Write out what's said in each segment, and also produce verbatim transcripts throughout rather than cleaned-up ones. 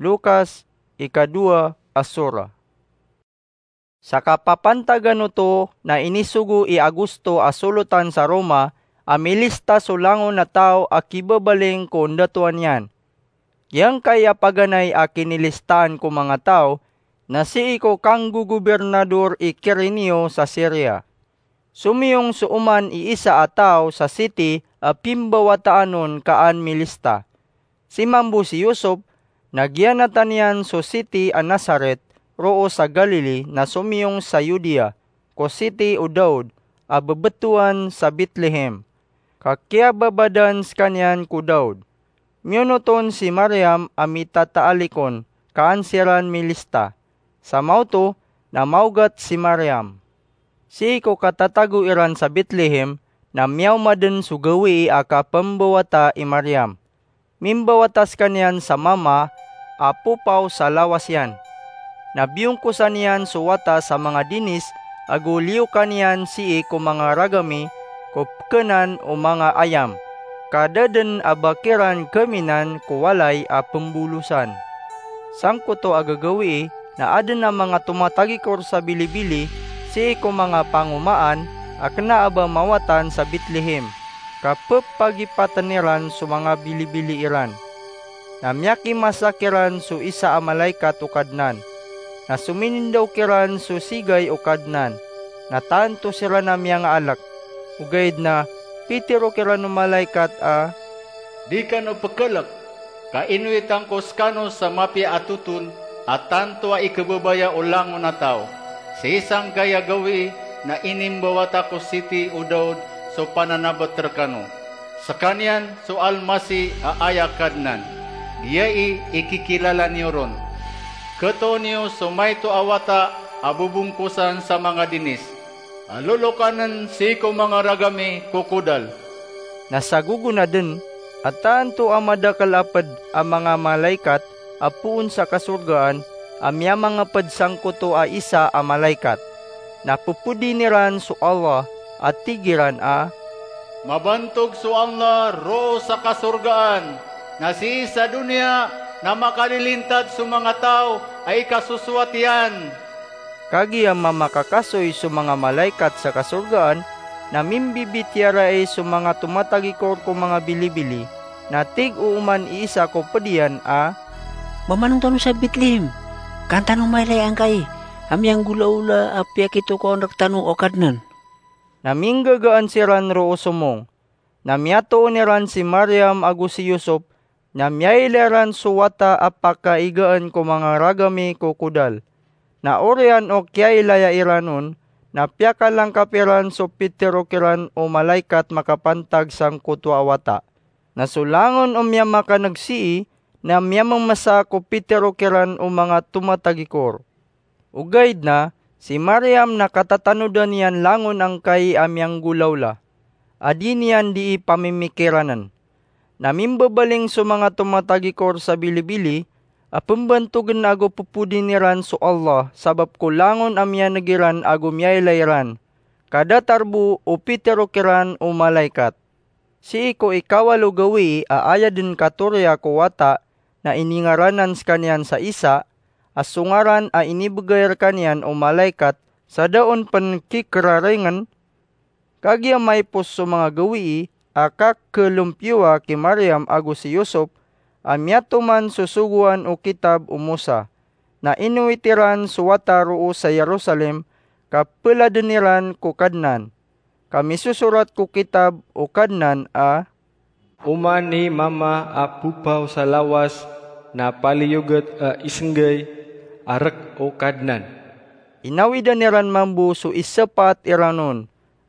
Lukas, ikadowa a sura. Sa kapapantagan oto na inisogo i Augusto a solotan sa Roma a milista so langon a taw a kibabaling ko ndatoan iyan. Giyangkai a paganay a kinilistaan ko manga taw na sii ko kanggogobirnador i Kirenio sa Siria. Somiyong so oman i isa a taw sa siti a pimbawataan on ka an milista. Si mambo si Yusop na giyanatan iyan so siti a Nazaret, roo sa Galili na somiyong sa Yudea, ko siti o Daud a bebetowan sa Betlehem, ka kiyababadan sekaniyan ko Daud. Miyonot on si Mariam a mitataalik on ka an siran milista. Sa maoto na maogat si Mariam. Sii ko katatago iran sa Betlehem na miyaoma den so gawii a kapembawata i Mariam. Mimbawata sekaniyan sa mama a popaw sa lawas iyan. Na biyongkosan iyan so wata sa manga dinis ago liyokan iyan sii ko manga ragami ko pekenan o manga ayam, ka da den a ba kiran keminan ko walay a pembolosan. Sangkoto a gagawii na aden a manga tomatagikor sa bilibili sii ko manga pangomaan a kena a ba mawatan sa Betlehem, ka pepagipaten iran so manga bilibili iran. Na miyakimasa kiran so isa a malaikat o Kadnan. Na sominindaw kiran so sigay o Kadnan, na tanto siran a miyangaalek. Ogaid na pitero kiran o malaikat a, "Di kano pekelek, ka inowitan ko sekano sa mapiya a totol a tanto a ikebebaya o langon a taw, sii sangkai a gawii na inimbawata ko siti o Daud so pananabet rekano. Sekaniyan so Almasih a aya Kadnan, giyai i kikilala niyo ron. Ketoon iyo so maito a wata a bobongkosan sa manga dinis, a lolokanen sii ko manga ragami ko kodal." Na sa gogonaden, a tanto a madakel a ped a manga malaikat a poon sa kasorgaan a miyamangeped sangkoto a isa a malaikat. Na pepedin iran so Allah a tig iran a, "Mabantog so Allah roo sa kasorgaan, na sii sa doniya na makalilintad so manga taw a ikasosowat iyan." Kagiya mamakakasoy so manga malaikat sa kasorgaan, na mimbibitiyarai so manga tomatagikor ko manga bilibili, na tig o oman i isa ko ped iyan a, "Mamanong tano sa Betlehem, ka an tano mailay angkai a miyanggolaola a piyakitokawan rektano o Kadnan." Na minggagaan siran roo somong. Na miyatoon iran si Mariam ago si Yusop, na miyailay ran so wata a pakaigaan ko manga ragami ko kodal. Na oriyan o kiyailaya iran on, na piyakalangkap iran so pitero kiran o malaikat makapantag sangkoto a wata. Na so langon o miyamakaneg sii na miyamemesa ko pitero kiran o manga tomatagikor. Ogaid na si Mariam na katatanodan iyan langon angkai a miyanggolaola a di niyan dii pamimikiranen. Na mimbabaling so manga tomatagikor sa bilibili a pembantogen ago pepodin iran so Allah sabap ko langon a miyaneg iran ago miyailay ran, ka datar bo o pitero kiran o malaikat. Sii ko ikawalo gawii a aya den katoriya ko wata na iningaranan sekaniyan sa Isa, a so ngaran a inibegay rekaniyan o malaikat sa da on pen kikerarengen. Kagiya maipos so manga gawii a kakelompiyowa ki Mariam ago si Yosop a miyatoman so sogoan o kitab o Mosa, na inowit iran so wata roo sa Jerusalem ka peladen iran ko Kadnan. Ka misosorat ko kitab o Kadnan a, "Oman i mama a popaw sa lawas na paliyoget a isenggay a rek o Kadnan." Inawidan iran mambo so isepat iran on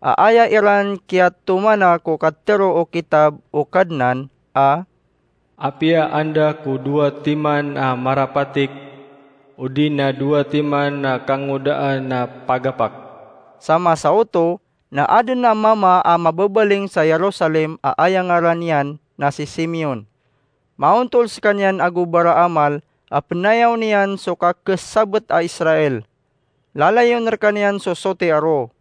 a aya iran kiyatomana ko katero o kitab o Kadnan a, "Apiya anda ko dowa timan a marapatik, odi na dowa timan a kangodaan a pagapak." Sa masa oto na aden a mama a mababaling sa Jerusalem a aya ngaran iyan na si Simeon. Maontol sekaniyan ago baraamal a penayaw niyan so kakesabet a Israel. Lalayon rekaniyan so soti a roo.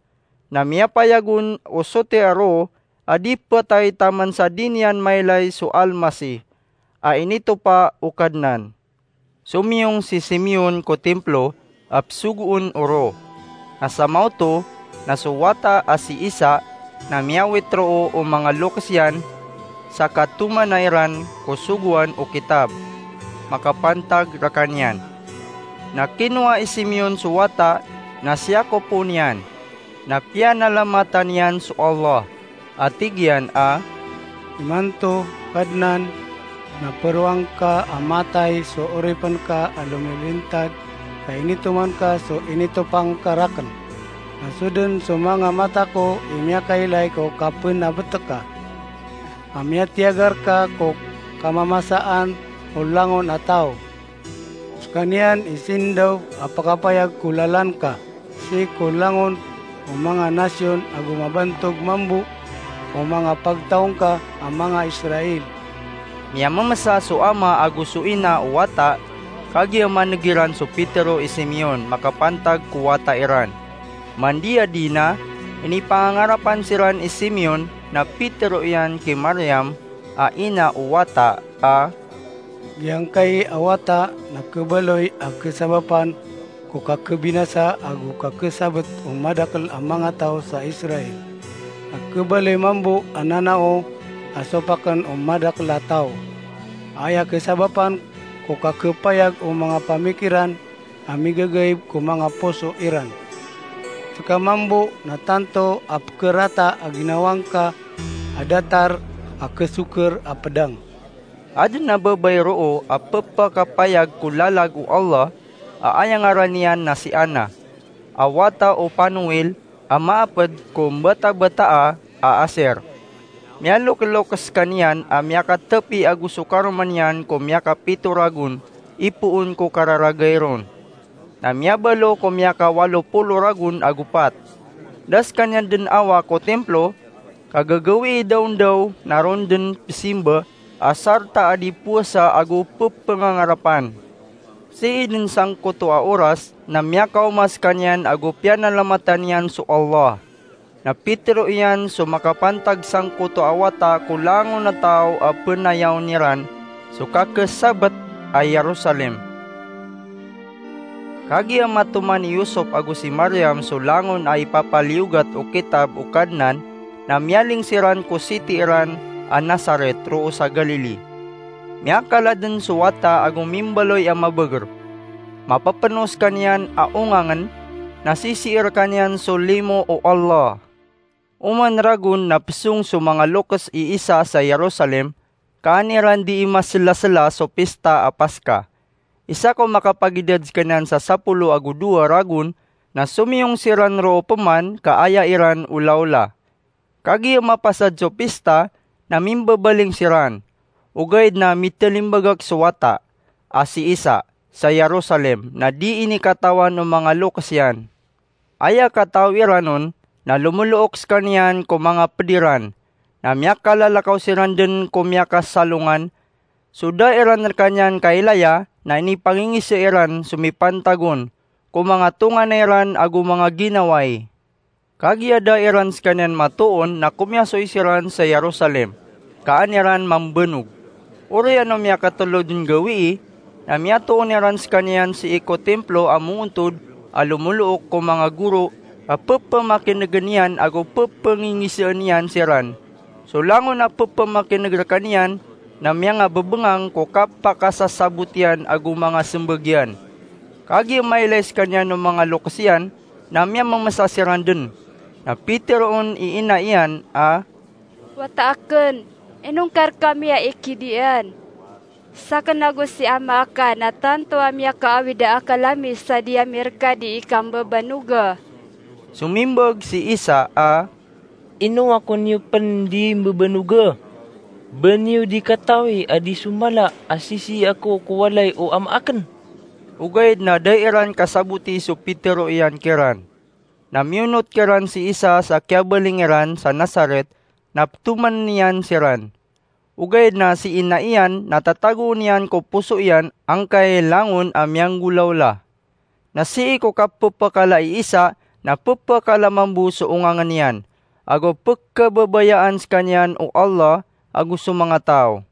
Na miyapayag on o soti a roo a di petay taman sa di niyan mailay so Almasih a initopa o Kadnan. Somiyong si Simeon ko Templo a psogoon o ro. Na sa maoto na so wata a si Isa na miyawit roo o manga lokes iyan sa katomana iran ko sogoan o kitab makapantag rekaniyan. Na kinowa i Simeon so wata na siyakopoon iyan, na piyanalamatan iyan so Allah, a tig iyan a, "Imanto, Kadnan, na peroang ka a matay so oripen ka a lomilintad ka initoman ka so initopang ka raken. Na so den so manga mata ko i miyakailay ko kapen a betek ka, a miyatiyagar ka ko kamamasaan o langon a taw. Sekaniyan i sindaw a pakapayag ko lalan ka, sii ko langon o manga nasyon ago mabantog mambo o manga pagtaw ngka a manga Israel." Miyamemesa so ama ago so ina o wata, kagiya maneg iran so pitero i Simeon makapantag ko wata iran. Mandiyadi na, inipangangarapan siran i Simeon na pitero iyan ki Mariam a ina o wata a, "Giyangkai a wata na kebaloy a kesabapan ko kakebinasa ago kakesabet o madakel a manga taw sa Israel. Na kebaloy mambo a nanao a sopaken o madakel a taw. Aya kesabapan ko kakepayag o manga pamikiran a migagaib ko manga poso iran. Seka mambo na tanto a pekerata a ginawa ngka a datar a kesoker a pedang." Aden a babay roo a pepakapayag ko lalag o Allah a aya ngaran iyan na si Anna, a wata o Panuel, a maaped ko mbatabataa a Aser. Miyalokelokes sekaniyan a miyakatepi ago so karoma niyan ko miyakapito ragon ipoon ko kararagay ron. Na miyabalo ko miyakawalo polo ragon ago pat. Da sekaniyan den awa ko Templo, ka gagawii da on daw na ron den pesimba a sarta a di powasa ago pepengangarapan. Sii den sangkoto a oras na miyakaoma sekaniyan ago piyanalamatan iyan so Allah. Na pitero iyan so makapantag sangkoto a wata ko langon a taw a penayawn iran so kakesabet a Jerusalem. Kagiya matoman i Yusop ago si Mariam so langon a ipapaliyogat o kitab o Kadnan, na miyaling siran ko siti iran a Nazaret roo sa Galili. Miyakala den so wata ago mimbaloy a mabeger. Mapepeno sekaniyan a ongangen, na sisii rekaniyan so limo o Allah. Oman ragon na pesong so manga lokes i Isa sa Jerusalem, ka an iran dii maselasela so pista a Paska. Isa ko makapagidad sekaniyan sa sapolo ago dowa ragon, na somiyong siran roo peman ka aya iran olaola. Kagiya mapasad so pista, na mimbabaling siran. Ogaid na mitelimbagak so wata a si Isa sa Jerusalem, na dii ini katawan o manga lokes iyan. Aya kataw iran on na lomolook sekaniyan ko manga ped iran, na miyakalalakaw siran den ko miyakasalongan. So da iran rekaniyan kailaya na inipangingise iran so mipantag on ko manga tonganay ran ago manga ginawai. Kagiya da iran sekaniyan matoon na komiyasoy siran sa Jerusalem, ka an iran mambanog. Oriyan o miyakatelo den gawii, na miyatoon iran sekaniyan sii ko Templo a moontod a lomolook ko manga goro a pepamakinegen iyan ago pepangingiseen iyan siran. So langon a pepamakineg rekaniyan na miyangabebengang ko kapakasasabot iyan ago manga sembag iyan. Kagiya mailay sekaniyan o manga lokes iyan, na miyamemesa siran den. Na piteroon i ina iyan a, "Wata aken, inongka rekami a ikidiyan? Saken ago si ama aka na tanto a miyakaawid a akal ami sa di ami reka dii kambabanoga." Somimbag si Isa a, "Ino ako niyo pen dii mbabanoga? Ba niyo dii katawi a dii so mala a sisii ako ko walay o ama aken?" Ogaid na da iran kasaboti so pitero iyan kiran. Na miyonot kiran si Isa sa kiyabaling iran sa Nazaret, na petoman iyan siran. Ogaid na si ina iyan na tatagoon iyan ko poso iyan angkai langon a miyanggolawla. Na sii ko kapepakala i Isa na pepakala mambo so ongangen iyan, ago pekababayaan sekaniyan o Allah ago so manga taw.